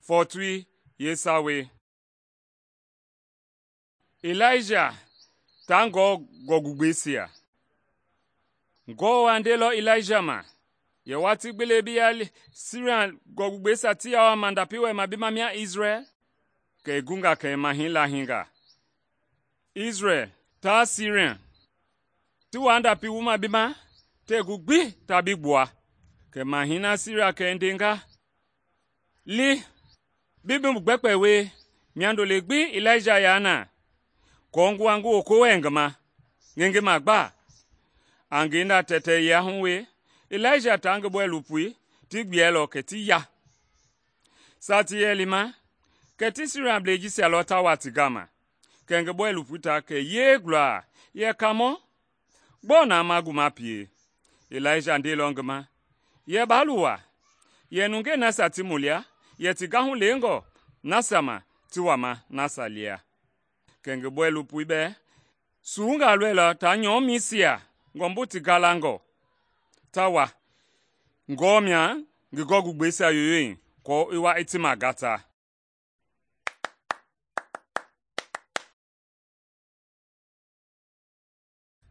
Fɔɔtoi yeesawei. Ilaija taa Ngewɔ gɔɔgugbɛisia. Ngewɔ wa ndeilɔ Ilaija ma yɛ watii gbi le bi yaa Siria gɔɔgugbɛisia ti yaa wa mandapi wɛlɛma bi ma mia Isrɛl, kɛ i gunga kɛ i mahɛi lahinga. Isrɛl taa Siria ti waa ndapi wuma bi ma tɛɛ gu gbi ta bi gbua. Kɛ mahɛi na Siria kɛ i ndenga, ‘Li, bi mu gbɛkpɛ wie, miando le gbi Ilaija yaa na, aako ngua ngi woko wɛɛ ngi ma, ngi ngi magba.’ A ngenda tɛtɛyia hu we, Ilaija taa ngi bɔilopoi ti gbiɛlɔ kɛ ti ya. Saa ti yɛ lima, kɛ ti Siriablei jisia lɔ ta wa ti gama. Kɛ ngi bɔilopoi ta kɛ yee gulaa yɛ, ‘Kaamɔ, gbɔɔ na ma gu ma pie?’ Ilaija ndeilɔ ngi ma yɛ, ‘Baa luwa, yɛ nungei nasia ti mu lia yɛ ti gahu lengɔ nasia ma ti wama nasia lia.’ Kɛ ngi bɔilopoi bɛɛ suwungaa lɔilɔ taa nyɔmisia ngɔmbu ti galangɔ, ta wa, Ngewɔ mia ngi gɔɔgugbɛisia yoyoi aako i wa i ti magata.”